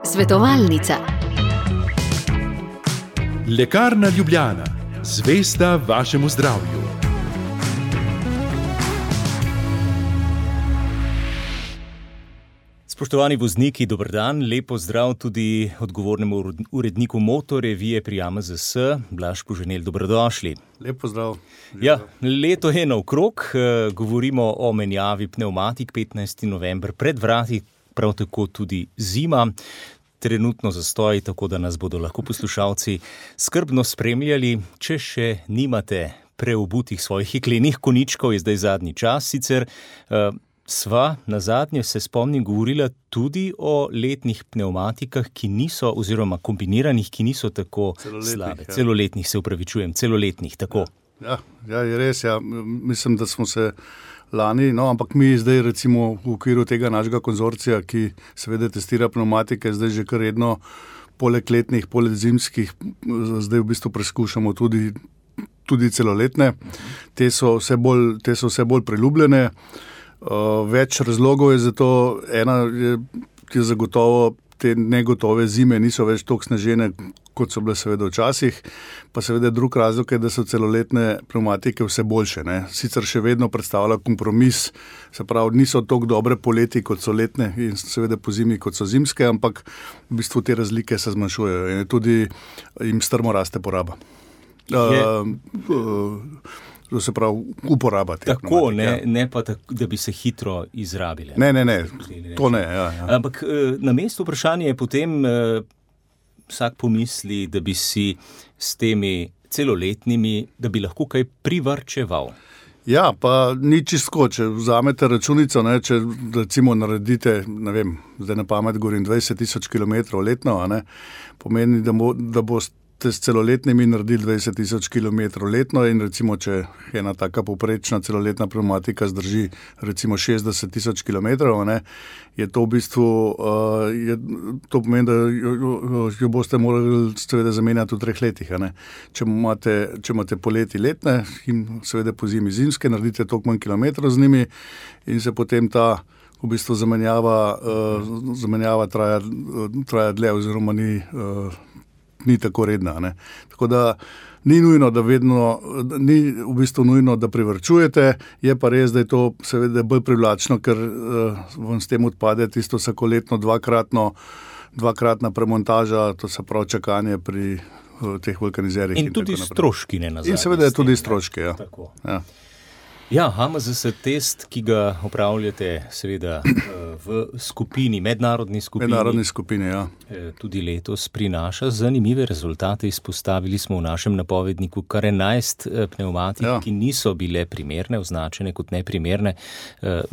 Svetovalnica. Lekarna Ljubljana, zvesta vašemu zdravju. Spoštovani vozniki, dober dan, lep pozdrav tudi odgovornemu uredniku Motorevije pri AMZS, Blaž Poženel, dobrodošli. Lep pozdrav. Ja, leto je naokrog, govorimo o menjavi pnevmatik, 15. november pred vrati, prav tako tudi zima. Trenutno zastoj, tako da nas bodo lahko poslušalci skrbno spremljali. Če še nimate preobutih svojih jeklenih koničkov, je zdaj zadnji čas. Sicer sva nazadnje, se spomnim, govorila tudi o letnih pnevmatikah, ki niso, oziroma kombiniranih, ki niso tako slabe. Ja. Celoletnih, se upravičujem, celoletnih, tako. Ja, je res, ja. Mislim, da smo se lani, ampak mi zdaj recimo v okviru tega našega konzorcija, ki seveda testira pnevmatike, zdaj že kar redno, poleg letnih, poleg zimskih, zdaj v bistvu preskušamo tudi celoletne. Te so vse bolj priljubljene. Več razlogov je za to. Ena je zagotovo, te negotove zime niso več toliko snežene, kot so bile seveda včasih, pa seveda drug razlog je, da so celoletne pnevmatike vse boljše, ne. Sicer še vedno predstavlja kompromis, se pravi, niso toliko dobre poleti, kot so letne, in seveda po zimi, kot so zimske, ampak v bistvu te razlike se zmanjšujejo in tudi jim strmo raste poraba. To se pravi, uporaba teh pnevmatik. Ne pa tako, da bi se hitro izrabile. Ne, to ne. Ja. Ampak na mestu vprašanje je potem, vsak pomisli, da bi si s temi celoletnimi, da bi lahko kaj privarčeval. Ja, pa ni čisto, če vzamete računico, ne, če recimo naredite, ne vem, zdaj na pamet govorim 20,000 kilometrov letno, ne, pomeni, da boste s celoletnimi naredili 20,000 kilometrov letno in recimo, če ena taka povprečna celoletna pnevmatika zdrži recimo 60,000 kilometrov, ne, je to v bistvu, to pomeni, da jo boste morali seveda zamenjati v 3 letih, ne. Če imate poleti letne in seveda po zimi zimske, naredite toliko manj kilometrov z njimi in se potem ta v bistvu zamenjava traja dlje oziroma ni tako redna, ne. Tako da ni nujno, ni v bistvu nujno, da privarčujete, je pa res, da je to seveda bolj privlačno, ker vam s tem odpade tisto vsakoletno dvakratna premontaža, to se pravi čakanje pri teh vulkanizerjih. In tudi stroški, ne nazadnje. In seveda tudi stroški, ja. Tako. Ja. Ja, AMZS test, ki ga opravljate seveda v skupini, mednarodni skupini, ja. Tudi letos prinaša zanimive rezultate. Izpostavili smo v našem napovedniku kar 11 pnevmatik, ki niso bile primerne, označene kot neprimerne.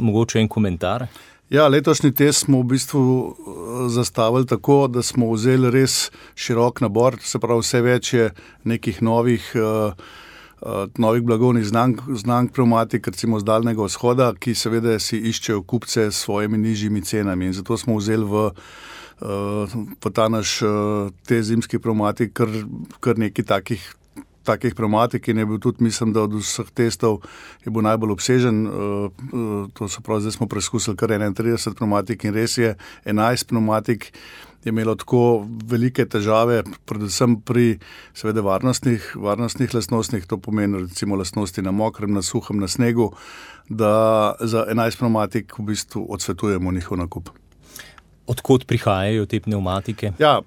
Mogoče en komentar? Ja, letošnji test smo v bistvu zastavili tako, da smo vzeli res širok nabor, se pravi vse več je nekih novih blagovnih znamk pnevmatik, recimo z Daljnega vzhoda, ki seveda si iščejo kupce s svojimi nižjimi cenami. In zato smo vzeli v ta naš te zimski pnevmatik kar nekaj takih pnevmatik in je bil tudi, mislim, da od vseh testov je bil najbolj obsežen. To se pravi, zdaj smo preskusili kar 31 pnevmatik in res je 11 pnevmatik je imelo tako velike težave, predvsem pri seveda varnostnih lastnostih, to pomeni recimo lastnosti na mokrem, na suhem, na snegu, da za 11 pnevmatik v bistvu odsvetujemo njihov nakup. Odkot prihajajo te pnevmatike? Ja,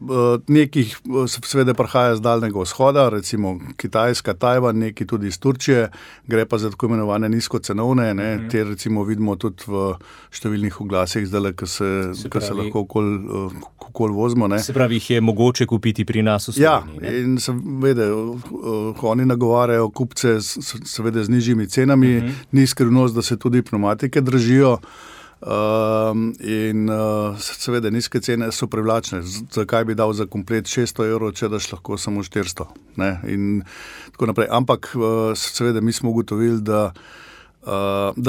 nekih seveda prihaja z Daljnega vzhoda, recimo Kitajska, Tajvan, neki tudi iz Turčije, gre pa za tako imenovane nizkocenovne, ne, te recimo vidimo tudi v številnih oglasih zdaj, ki se lahko okoli vozimo, ne. Se pravi, jih je mogoče kupiti pri nas v Sloveniji, ne? Ja, in seveda, oni nagovarjajo kupce seveda z nižjimi cenami, ni skrivnost, da se tudi pnevmatike dražijo. In seveda nizke cene so privlačne. Zakaj bi dal za komplet 600 €, če daš lahko samo 400, ne? In tako naprej. Ampak seveda mi smo ugotovili, da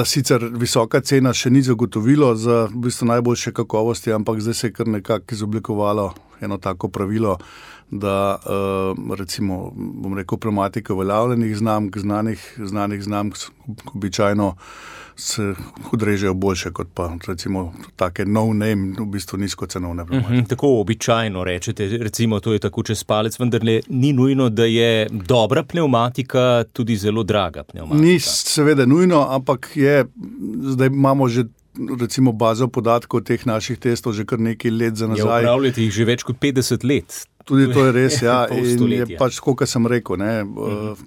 sicer visoka cena še ni zagotovilo za v bistvu najboljše kakovosti, ampak zdaj se je kar nekako izoblikovalo eno tako pravilo, da recimo, bom rekel, pneumatike uveljavljenih znamk, znanih znamk običajno se odrežejo boljše kot pa recimo take no-name, v bistvu nizkocenovne pneumatike. Tako običajno rečete, recimo to je tako čez palec, vendar ni nujno, da je dobra pneumatika tudi zelo draga pneumatika. Ni seveda nujno, ampak zdaj imamo že recimo bazo podatkov teh naših testov že kar nekaj let za nazaj. Upravljate jih že več kot 50 let. Tudi to je res, ja. In je pač tako, kot sem rekel, ne,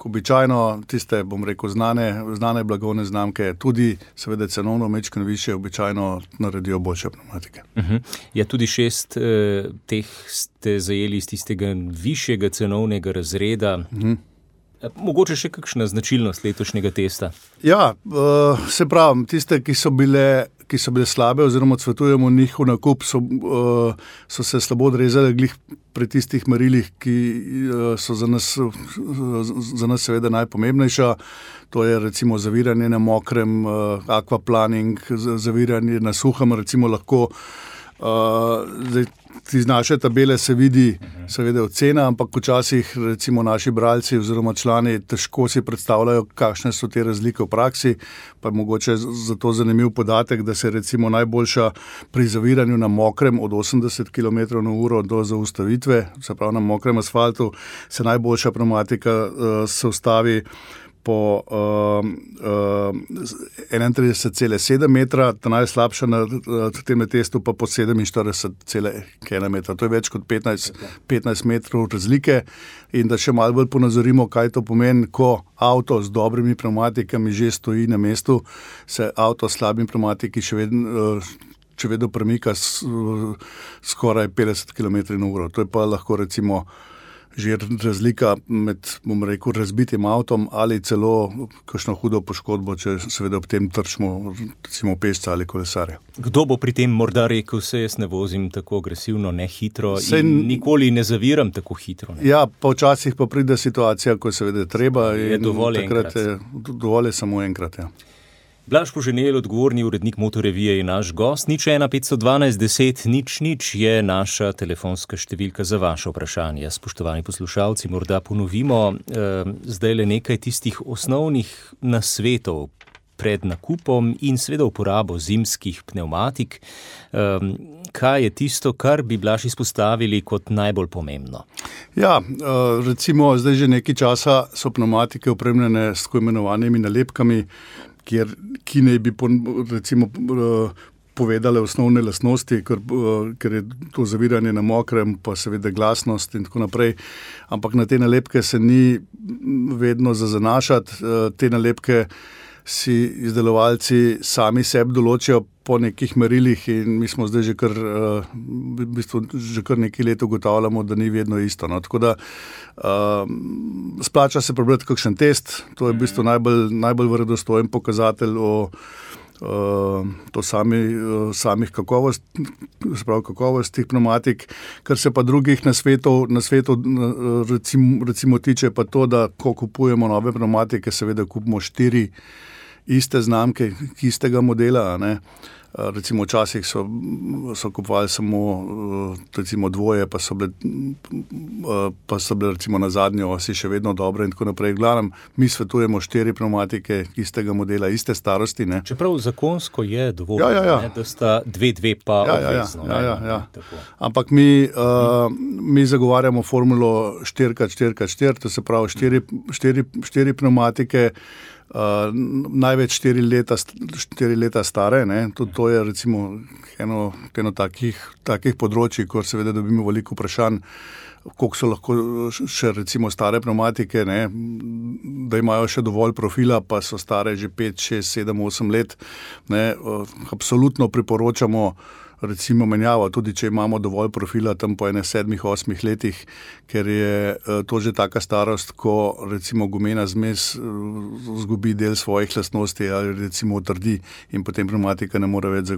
običajno tiste, bom rekel, znane blagovne znamke, tudi seveda cenovno mečkano više, običajno naredijo boljše pneumatike. Ja, tudi 6 teh ste zajeli iz tistega višjega cenovnega razreda. Mogoče še kakšna značilnost letošnjega testa? Ja, se pravim, tiste, ki so bile slabe oziroma cvetujemo njihov nakup, so se slabo odrezali glih pri tistih merilih, ki so za nas seveda najpomembnejša. To je recimo zaviranje na mokrem, aquaplaning, zaviranje na suhem, recimo lahko. Iz naše tabele se vidi seveda ocena, ampak včasih recimo naši bralci oziroma člani težko si predstavljajo, kakšne so te razlike v praksi, pa je mogoče zato zanimiv podatek, da se recimo najboljša pri zaviranju na mokrem od 80 km/h do zaustavitve, se pravi na mokrem asfaltu, se najboljša pneumatika se ustavi po 31,7 metra, ta najslabša na tem testu pa po 47,1 metra. To je več kot 15 metrov razlike. In da še malo bolj ponazorimo, kaj to pomeni, ko avto z dobrimi pneumatikami že stoji na mestu, se avto s slabimi pneumatiki še vedno premika skoraj 50 km/h. To je pa lahko recimo že razlika med, bom rekel, razbitim avtom ali celo kakšno hudo poškodbo, če seveda ob tem trčimo recimo pešca ali kolesarja. Kdo bo pri tem morda rekel, se jaz ne vozim tako agresivno, ne hitro in nikoli ne zaviram tako hitro? Ne? Ja, pa včasih pa pride situacija, ko seveda treba je in dovolj takrat enkrat. Dovolj je samo enkrat, ja. Blaž Poženel, odgovorni urednik Motorevije, je naš gost. 01512 10 00 je naša telefonska številka za vaše vprašanje. Spoštovani poslušalci, morda ponovimo zdaj le nekaj tistih osnovnih nasvetov pred nakupom in seveda uporabo zimskih pneumatik. Kaj je tisto, kar bi Blaž izpostavili kot najbolj pomembno? Ja, recimo zdaj že nekaj časa so pneumatike opremljene s tako imenovanimi nalepkami, ki naj bi recimo povedale osnovne lastnosti, ker je to zaviranje na mokrem, pa seveda glasnost in tako naprej. Ampak na te nalepke se ni vedno za zanašati. Te nalepke si izdelovalci sami sebi določijo po nekih merilih in mi smo zdaj že kar nekaj let ugotavljamo, da ni vedno isto. No. Tako da splača se prebrati kakšen test, to je v bistvu najbolj verodostojen pokazatelj o samih kakovostih pneumatik. Kar se pa drugih nasvetov recimo tiče pa to, da ko kupujemo nove pneumatike, seveda kupimo 4 iste znamke, istega modela, ne. Recimo včasih so kupovali samo recimo dvoje, pa so bile recimo na zadnjo osi še vedno dobre in tako naprej. V glavnem, mi svetujemo 4 pneumatike istega modela, iste starosti. Ne. Čeprav zakonsko je dovolj, ne, da sta 2 pa obvezno. Ampak mi zagovarjamo formulo 4x4x4, to se pravi 4 pneumatike, največ 4 leta stare, ne. To je recimo eno takih področji, ko seveda dobimo veliko vprašanj, koliko so lahko še recimo stare pneumatike, ne, da imajo še dovolj profila, pa so stare že 5, 6, 7, 8 let. Ne. Absolutno priporočamo recimo menjavo, tudi če imamo dovolj profila tam po 7, 8 letih, ker je to že taka starost, ko recimo gumena zmes zgubi del svojih lastnosti ali recimo utrdi in potem pneumatika ne more več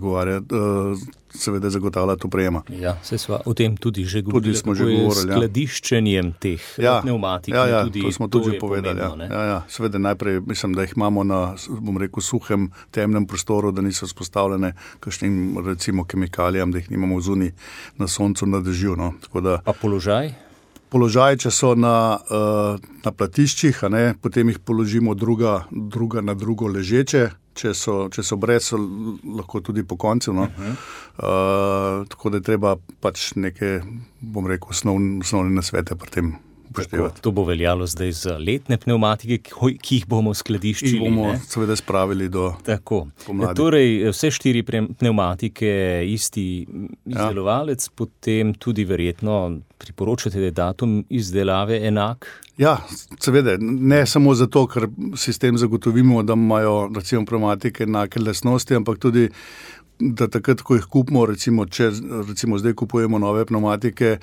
seveda zagotavljati oprema. Ja, se sva o tem tudi že govorili. Tudi smo že govorili, skladiščenjem teh pnevmatik. To smo tudi že povedali. Seveda najprej mislim, da jih imamo na, bom rekel, suhem, temnem prostoru, da niso vzpostavljene kakšnim, recimo, kemikalijam, da jih nimamo zunaj na soncu, na dežju. No. Pa položaj? Položaj, če so na platiščih, potem jih položimo druga na drugo ležeče, če so brez, so lahko tudi po koncu. No. Tako da je treba pač neke, bom rekel, osnovne nasvete pri tem upoštevati. To bo veljalo zdaj za letne pnevmatike, ki jih bomo skladiščili. Ki bomo seveda spravili do pomladi. Torej, vse 4 pnevmatike, isti izdelovalec, potem tudi verjetno priporočate, da je datum izdelave enak? Ja, seveda, ne samo zato, ker si s tem zagotovimo, da imajo recimo pnevmatike enake lastnosti, ampak tudi, da takrat, ko jih kupimo, če zdaj kupujemo nove pnevmatike,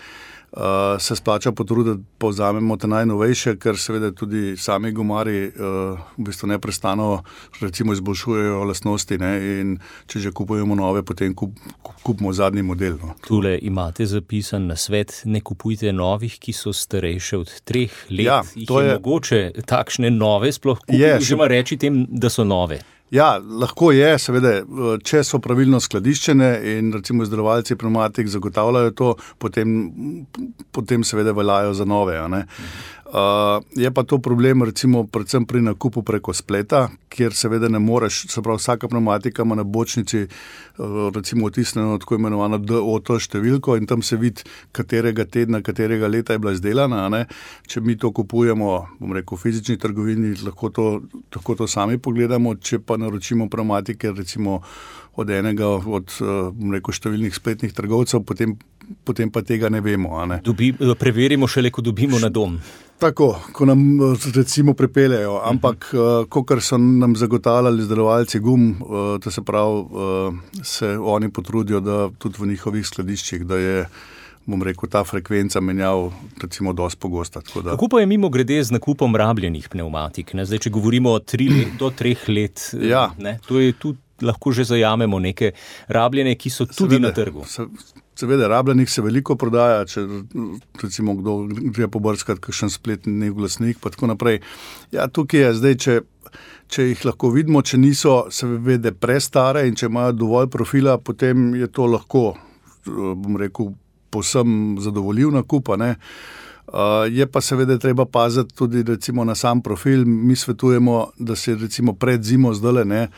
se splača potruditi, da povzamemo te najnovejše, ker seveda tudi sami gumarji v bistvu neprestano recimo izboljšujejo lastnosti, ne, in če že kupujemo nove, potem kupimo zadnji model. No. Tule imate zapisan nasvet, ne kupujte novih, ki so starejše od 3 let. Ja, to je mogoče takšne nove sploh kupiti, oziroma reči tem, da so nove. Ja, lahko je, seveda, če so pravilno skladiščene in recimo izdelovalci pnevmatik zagotavljajo to, potem seveda veljajo za nove. Je pa to problem recimo predvsem pri nakupu preko spleta, kjer seveda ne moreš, se pravi vsaka pnevmatika ima na bočnici recimo otisnjeno tako imenovano DOT številko in tam se vidi, katerega tedna, katerega leta je bila izdelana. Če mi to kupujemo, bom rekel, v fizični trgovini, lahko to sami pogledamo, če pa naročimo pnevmatike recimo od enega od, bom rekel, številnih spletnih trgovcev, potem pa tega ne vemo. Preverimo šele, ko dobimo na dom. Tako, ko nam recimo pripeljejo, ampak kakor so nam zagotavljali izdelovalci gum, to se pravi, se oni potrudijo, da tudi v njihovih skladiščih, da je, bom rekel, ta frekvenca menjav recimo dosti pogosta. Kako pa je mimo grede z nakupom rabljenih pnevmatik? Zdaj, če govorimo do 3 let, to je tudi lahko že zajamemo neke rabljene, ki so tudi na trgu. Seveda, rabljenih se veliko prodaja, če recimo kdo gre pobrskati kakšen spletni oglasnik, pa tako naprej. Ja, tukaj je zdaj, če jih lahko vidimo, če niso seveda prestare in če imajo dovolj profila, potem je to lahko, bom rekel, povsem zadovoljiv nakup, je pa seveda treba paziti tudi recimo na sam profil. Mi svetujemo, da se recimo pred zimo zdajle,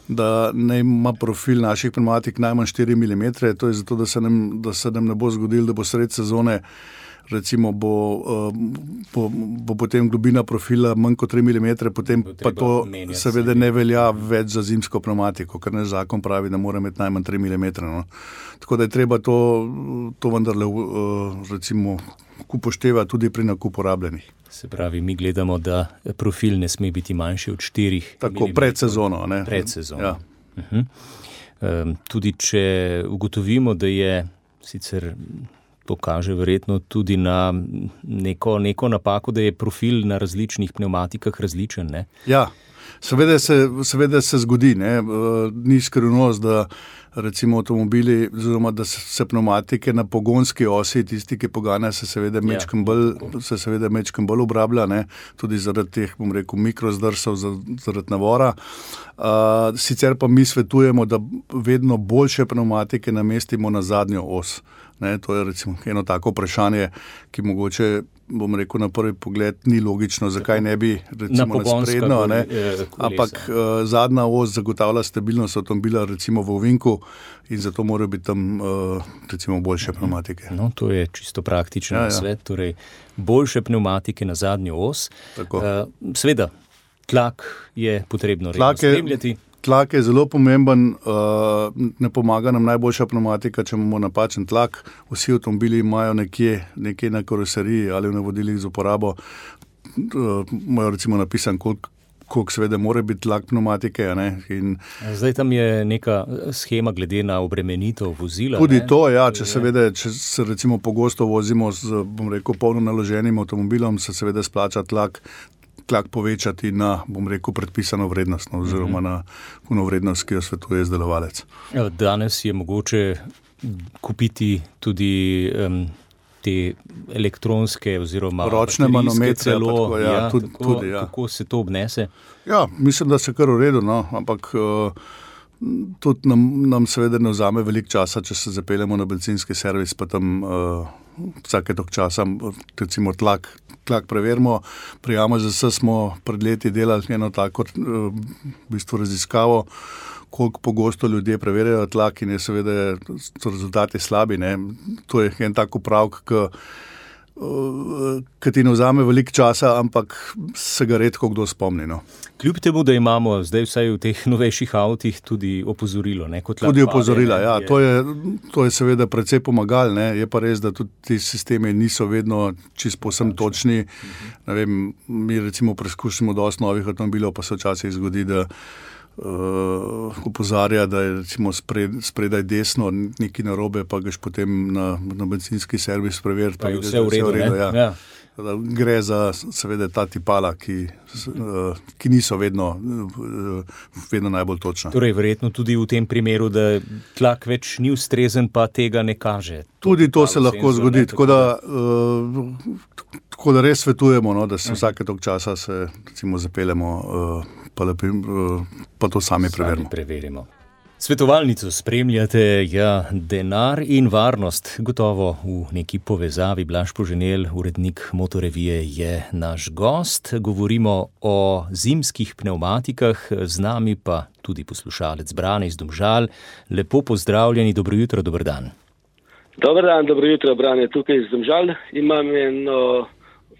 da ne ima profil naših pnevmatik najmanj 4 mm, to je zato, da se nam ne bo zgodilo, da bo sred sezone recimo bo potem globina profila manj kot 3 mm, potem pa to seveda ne velja več za zimsko pnevmatiko, ker naš zakon pravi, da mora imeti najmanj 3 mm. No. Tako da je treba to vendarle recimo upoštevati tudi pri nakupu rabljenih. Se pravi, mi gledamo, da profil ne sme biti manjši od 4 mm. Tako, pred sezono. Pred sezono. Ja. Tudi če ugotovimo, da je sicer to kaže verjetno tudi na neko napako, da je profil na različnih pnevmatikah različen, ne? Ja, seveda se zgodi, ne? Ni skrivnost, da recimo avtomobili, oziroma da se pnevmatike na pogonski osi, tisti, ki poganja, se seveda mečkam bolj obrablja, ne? Tudi zaradi teh, bom rekel, mikrozdrsov, zaradi navora. Sicer pa mi svetujemo, da vedno boljše pnevmatike namestimo na zadnjo os. To je recimo eno tako vprašanje, ki mogoče, bom rekel, na prvi pogled ni logično, zakaj ne bi recimo na sprednjo, ampak zadnja os zagotavlja stabilnost avtomobila recimo v ovinku in zato morajo biti tam recimo boljše pnevmatike. No, to je čisto praktičen nasvet, torej boljše pnevmatike na zadnjo os. Seveda, tlak je potrebno redno spremljati. Tlak je zelo pomemben, ne pomaga nam najboljša pnevmatika, če imamo napačen tlak. Vsi avtomobili imajo nekje na karoseriji ali v navodilih za uporabo, imajo recimo napisan, koliko seveda mora biti tlak pneumatike. Zdaj tam je neka schema glede na obremenitev vozila. Tudi to, ja, če se recimo pogosto vozimo z, bom rekel, polno naloženim avtomobilom, se seveda splača tlak tlak povečati na, bom rekel, predpisano vrednost, oziroma na vrednost, ki jo svetuje izdelovalec. Danes je mogoče kupiti tudi te elektronske oziroma ročne manometre, tudi. Kako se to obnese? Ja, mislim, da se kar v redu, ampak tudi nam seveda ne vzame veliko časa, če se zapeljemo na bencinski servis, pa tam vsake tok časa, recimo tlak preverimo. Pri AMZS smo pred leti delali eno tako v bistvu raziskavo, koliko pogosto ljudje preverjajo tlak in je seveda so rezultati slabi. Ne. To je en tak upravk, ki ti ne vzame veliko časa, ampak se ga redko kdo spomni. No. Kljub temu, da imamo zdaj vsaj v teh novejših avtih tudi opozorilo. Ne, tudi opozorila, ja. To je seveda precej pomagalo. Je pa res, da tudi ti sistemi niso vedno čisto povsem točni. Ne vem, mi recimo preizkušamo dosti novih avtomobilov, pa se včasih zgodi, da opozarja, da je recimo spredaj desno nekaj narobe, pa gaš potem na bencinski servis preveriti. Pa je vse v redu, ja. Gre za seveda ta tipala, ki niso vedno najbolj točna. Torej, verjetno tudi v tem primeru, da tlak več ni ustrezen, pa tega ne kaže. Tudi to se lahko zgodi, tako da res svetujemo, da se vsake tok časa se recimo zapeljemo, pa to sami preverimo. Svetovalnico spremljate, denar in varnost, gotovo v neki povezavi. Blaž Poženel, urednik Motorevije, je naš gost. Govorimo o zimskih pnevmatikah, z nami pa tudi poslušalec Brane iz Domžal. Lepo pozdravljeni, dobro jutro, dober dan. Dober dan, dobro jutro, Brane, tukaj iz Domžal. Imam eno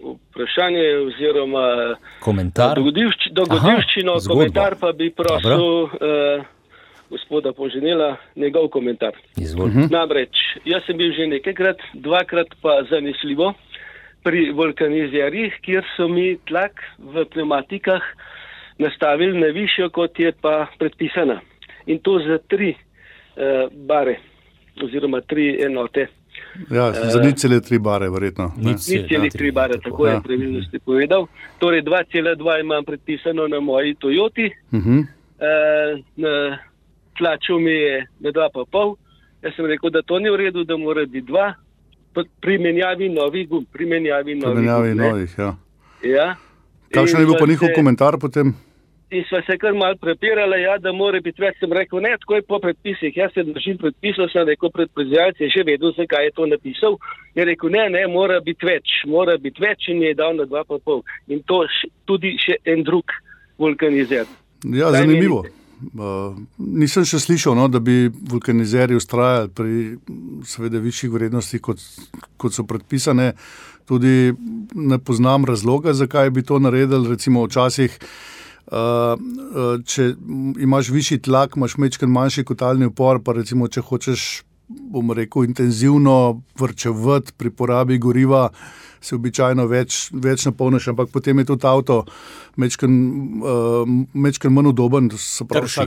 vprašanje oziroma komentar. Dogodivščino, komentar pa bi prosil gospoda Poženela, njegov komentar. Izvolite. Namreč, jaz sem bil že nekajkrat, dvakrat pa zanesljivo pri vulkanizerjih, kjer so mi tlak v pneumatikah nastavili na višjo, kot je pa predpisana. In to za 3 bare oziroma 3 enote. Ja, za 0,3 bare verjetno. 0,3 bare, tako je pravilno ste povedal. Torej 2,2 imam predpisano na moji Toyoti. Tlačil mi je na 2,5. Jaz sem rekel, da to ni v redu, da mora biti 2. Pri menjavi novih gum. Pri menjavi novih, ja. Ja. Kakšen je bil pa njihov komentar potem? In sva se kar malo prepirala, da mora biti več. Sem rekel, ne, tako je po predpisih. Jaz se držim predpisov, sem rekel, predproizvajalec je že vedel, zakaj je to napisal. Je rekel, ne, mora biti več in je dal na 2,5. In to tudi še en drug vulkanizer. Ja, zanimivo. Nisem še slišal, da bi vulkanizerji ustrajali pri seveda višjih vrednostih, kot so predpisane. Tudi ne poznam razloga, zakaj bi to naredili. Recimo včasih, če imaš višji tlak, imaš majčkeno manjši kotalni upor, pa recimo, če hočeš, bom rekel, intenzivno varčevati pri porabi goriva, se običajno več napolniš, ampak potem je tudi avto majčkeno manj udoben, se pravi,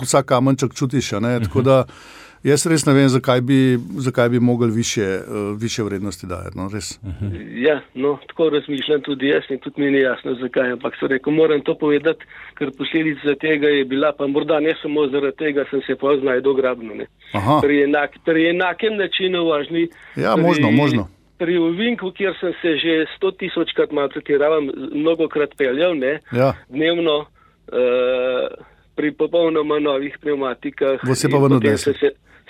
vsak kamenček čutiš, tako da jaz res ne vem, zakaj bi mogli više vrednosti dajati, res. Ja, tako razmišljam tudi jaz in tudi mi ni jasno, zakaj, ampak so rekel, moram to povedati, ker posledica tega je bila, pa morda ne samo zaradi tega, sem se pa znajdel grabno, pri enakem načinu vožnji. Ja, možno. Pri ovinku, kjer sem se že 100.000-krat malo pretiravam, mnogokrat peljal, dnevno, pri popolnoma novih pneumatikah.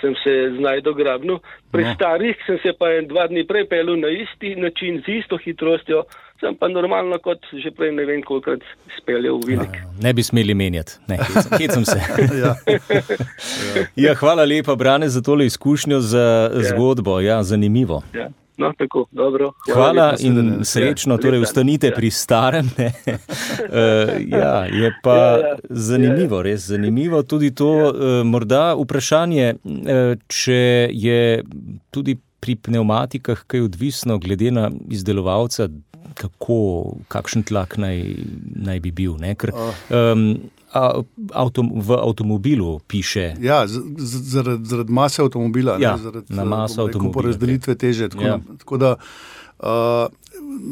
Sem se znajdel grabno. Pri starih sem se pa 2 dni prej peljal na isti način, z isto hitrostjo, sem pa normalno kot že prej ne vem kolikrat speljal v ovinek. Ne bi smeli menjati. Hecam se. Ja, hvala lepa, Brane, za tole izkušnjo, za zgodbo. Ja, zanimivo. Ja. Tako, dobro. Hvala in srečno, torej ustanite pri starem. Je pa zanimivo, res zanimivo. Tudi to morda vprašanje, če je tudi pri pneumatikah kaj odvisno glede na izdelovalca, kakšen tlak naj bi bil. Ker v avtomobilu piše. Ja, zaradi mase avtomobila. Ja, na maso avtomobila. Porazdelitve teže. Tako da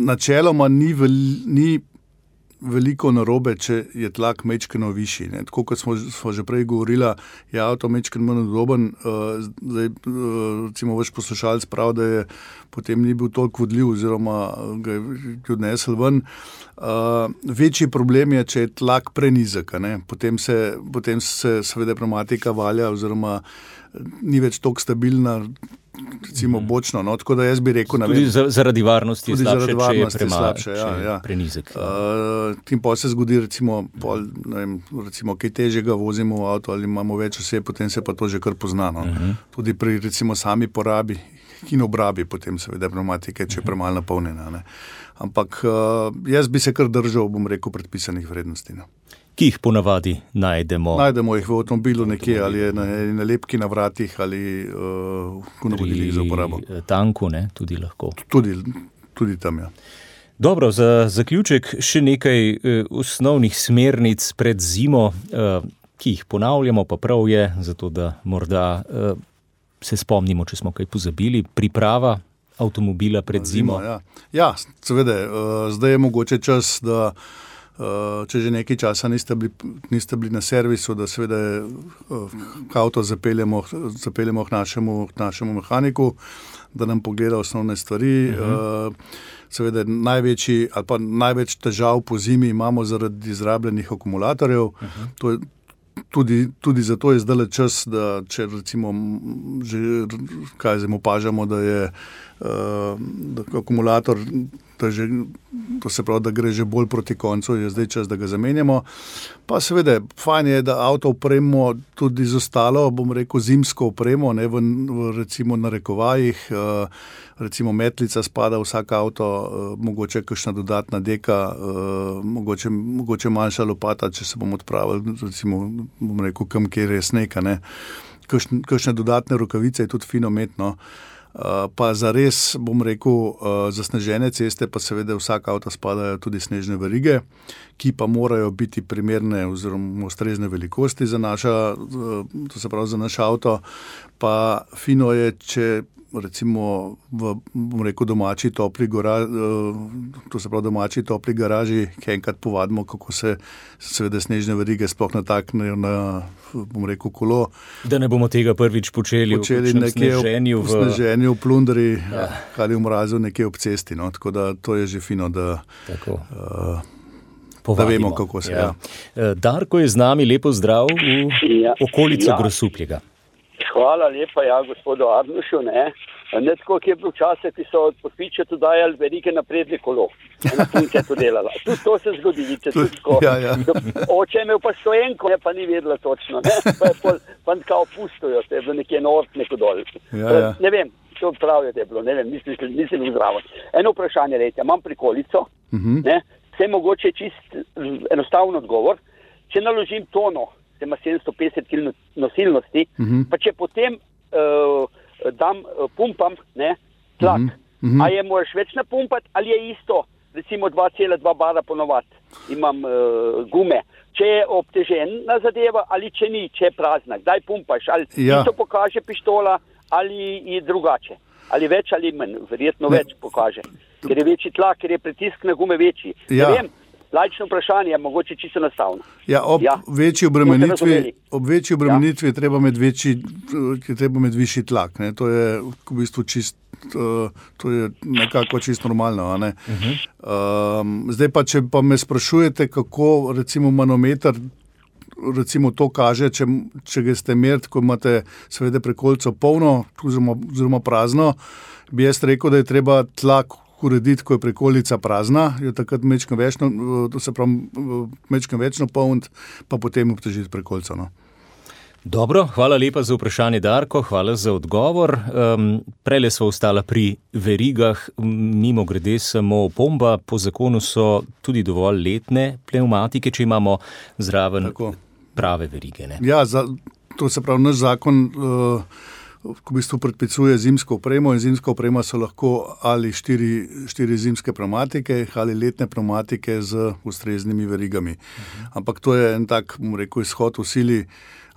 načeloma ni veliko narobe, če je tlak mečkeno višji. Ne. Tako kot smo že prej govorila, je avto mečkeno manj udoben. Zdaj, recimo, vaš poslušalec pravi, da je potem ni bil toliko vodljiv oziroma ga je odnesel ven. Večji problem je, če je tlak prenizek. Potem se seveda pneumatika valja oziroma ni več toliko stabilna, recimo bočno, no, tako da jaz bi rekel... Tudi zaradi varnosti je slabše, če je prenizek. Tim pa se zgodi, recimo, kaj težjega vozimo v avto ali imamo več oseb, potem se pa to že kar pozna. No. Tudi pri, recimo, sami porabi in obrabi potem seveda pneumatike, če je premalo napolnjena. Ne. Ampak jaz bi se kar držal, bom rekel, predpisanih vrednosti. No. Ki jih ponavadi najdemo? Najdemo jih v avtomobilu nekje, ali je na lepki na vratih, ali v navodilih za uporabo. Tanku, ne, tudi lahko. Tudi tam, ja. Dobro, za zaključek še nekaj osnovnih smernic pred zimo, ki jih ponavljamo, pa prav je, zato da morda se spomnimo, če smo kaj pozabili. Priprava avtomobila pred zimo. Ja, seveda, zdaj je mogoče čas, da če že nekaj časa niste bili na servisu, da seveda avto zapeljemo k našemu mehaniku, da nam pogleda osnovne stvari. Seveda največ težav po zimi imamo zaradi izrabljenih akumulatorjev. To je tudi zato je zdaj čas, da če recimo že opažamo, da je akumulator, to se pravi, da gre že bolj proti koncu, je zdaj čas, da ga zamenjamo. Pa seveda, fajn je, da avto opremo tudi z ostalo, bom rekel, zimsko opremo, ne, v recimo narekovajih, recimo metlica spada v vsak avto, mogoče kakšna dodatna deka, mogoče manjša lopata, če se bomo odpravili, recimo, bom rekel, kam kjer je sneg, ne. Kakšne dodatne rokavice je tudi fino metno. Pa za res, bom rekel, zasnežene ceste, pa seveda vsak avto spadajo tudi snežne verige, ki pa morajo biti primerne oziroma ustrezne velikosti za to se pravi za naš avto. Pa fino je, če recimo bom rekel, domači topli garaži, ki enkrat povadimo, kako se seveda snežne verige sploh nataknejo na, bom rekel, kolo. Da ne bomo tega prvič počeli v sneženju, v plundri, ali v mrazu nekje ob cesti. No? Tako da to je že fino, da vemo, kako se. Ja. Darko je z nami, lepo zdrav v okolico Grosuplja. Hvala lepa, gospodu Arnušu, ne tako, ki je bil včasih, ki so od podpičetu dajali verige na prednje kolo. Ena punca je to delala. Tudi to se zgodi, vidite, tudi tako. Oče je imel pa stojenko, pa ni vedela točno, ne. Pa kao pustujo, to je bilo nekje nort, neko dol. Ne vem, to pravijo, da je bilo, ne vem, nisem zdravo. Eno vprašanje, lejte, imam prikolico, ne, vse mogoče čist enostavno odgovor. Če naložim tono, ima 750 kg nosilnosti, pa če potem pumpam, ne, tlak, a je moraš več napumpati, ali je isto, recimo 2,2 bara ponovati, imam gume, če je obtežena zadeva, ali če ni, če je prazna, kdaj pumpaš, ali isto pokaže pištola, ali je drugače, ali več ali manj, verjetno več pokaže, ker je večji tlak, ker je pritisk na gume večji, ne vem. Laično vprašanje je mogoče čisto enostavno. Ob večji obremenitvi je treba imeti višji tlak. Ne? To je v bistvu to je nekako čisto normalno. Ne? Zdaj pa, če pa me sprašujete, kako recimo manometer recimo to kaže, če ga ste merili, ko imate seveda prekolico polno oziroma prazno, bi jaz rekel, da je treba tlak urediti, ko je prekolica prazna, je takrat mečkam več napolniti, pa potem obtežiti prekolico. No. Dobro, hvala lepa za vprašanje, Darko, hvala za odgovor. Prejle smo ostala pri verigah, mimo grede samo opomba, po zakonu so tudi dovolj letne pneumatike, če imamo zraven prave verige. Ne? Ja, to se pravi, naš zakon v bistvu predpisuje zimsko opremo in zimska oprema so lahko ali štiri zimske pneumatike ali letne pneumatike z ustreznimi verigami. Ampak to je en tak, bom rekel, izhod v sili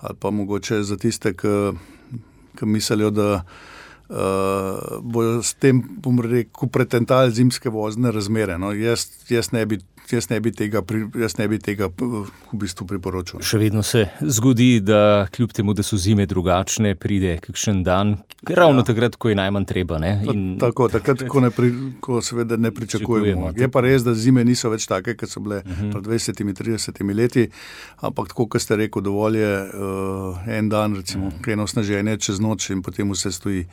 ali pa mogoče za tiste, ki mislijo, da bojo s tem, bom rekel, pretentali zimske vozne razmere. No, jaz ne bi jaz ne bi tega v bistvu priporočil. Še vedno se zgodi, da kljub temu, da so zime drugačne, pride kakšen dan, ravno takrat, ko je najmanj treba. Ne? Tako, takrat, ko seveda ne pričakujemo. Je pa res, da zime niso več take, kot so bile pred 20-30 leti, ampak tako, kot ste rekel, dovolj je en dan, recimo, eno snaženje čez noč in potem vse stoji.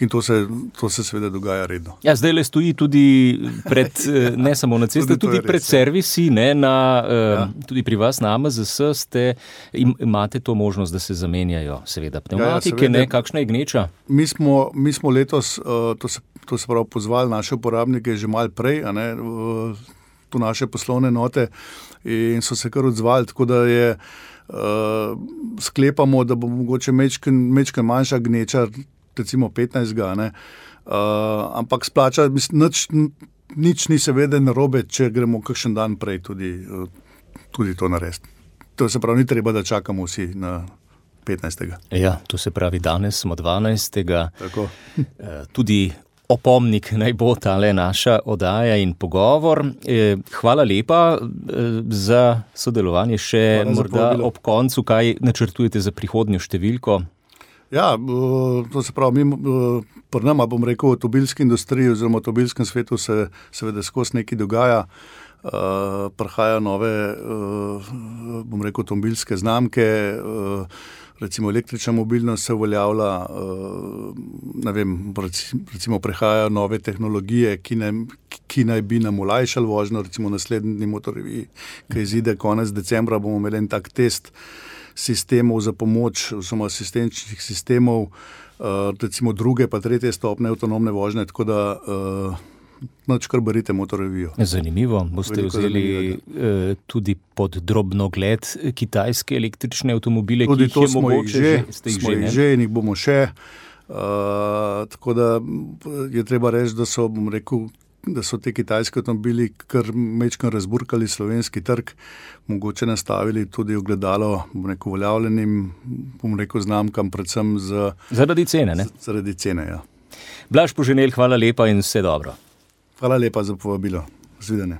In to se seveda dogaja redno. Ja, zdaj le stoji tudi ne samo na ceste, tudi pred servisi, tudi pri vas na AMZS imate to možnost, da se zamenjajo seveda pneumatike, kakšna je gneča? Mi smo letos, to se pravi, pozvali naše uporabnike že malo prej, tu naše poslovne note in so se kar odzvali, tako da je sklepamo, da bo mogoče mečken manjša gneča, recimo 15, ampak splača, nič ni seveda narobe, če gremo kakšen dan prej tudi to narediti. To se pravi, ni treba, da čakamo vsi na 15. Ja, to se pravi, danes smo 12. Tako. Tudi opomnik naj bo tale naša oddaja in pogovor. Hvala lepa za sodelovanje še morda ob koncu. Kaj načrtujete za prihodnjo številko? Ja, to se pravi, pri nama, bom rekel, v avtomobilski industriji oziroma v avtomobilskem svetu se seveda skozi nekaj dogaja. Prihajajo nove, bom rekel, avtomobilske znamke, recimo električna mobilnost se uveljavlja, recimo prihajajo nove tehnologije, ki naj bi nam olajšali vožnjo, recimo naslednji motorji, ki izide konec decembra, bomo imeli en tak test sistemov za pomoč, oziroma asistenčnih sistemov, recimo druge pa tretje stopnje avtonomne vožnje, tako da kar berite Motorrevijo. Zanimivo. Boste vzeli tudi pod drobnogled kitajske električne avtomobile, tudi ki jih je mogoče? Smo jih že in jih bomo še. Tako da je treba reči, da so te kitajske avtomobili kar mečkano razburkali slovenski trg, mogoče nastavili tudi ogledalo, uveljavljenim, znamkam, predvsem zaradi cene, ne? Zaradi cene, ja. Blaž Poženel, hvala lepa in vse dobro. Hvala lepa za povabilo. Zvidene.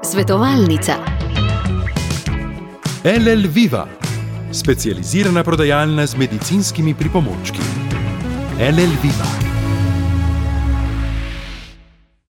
Svetovalnica. LL Viva, specializirana prodajalna z medicinskimi pripomočki. LL Viva.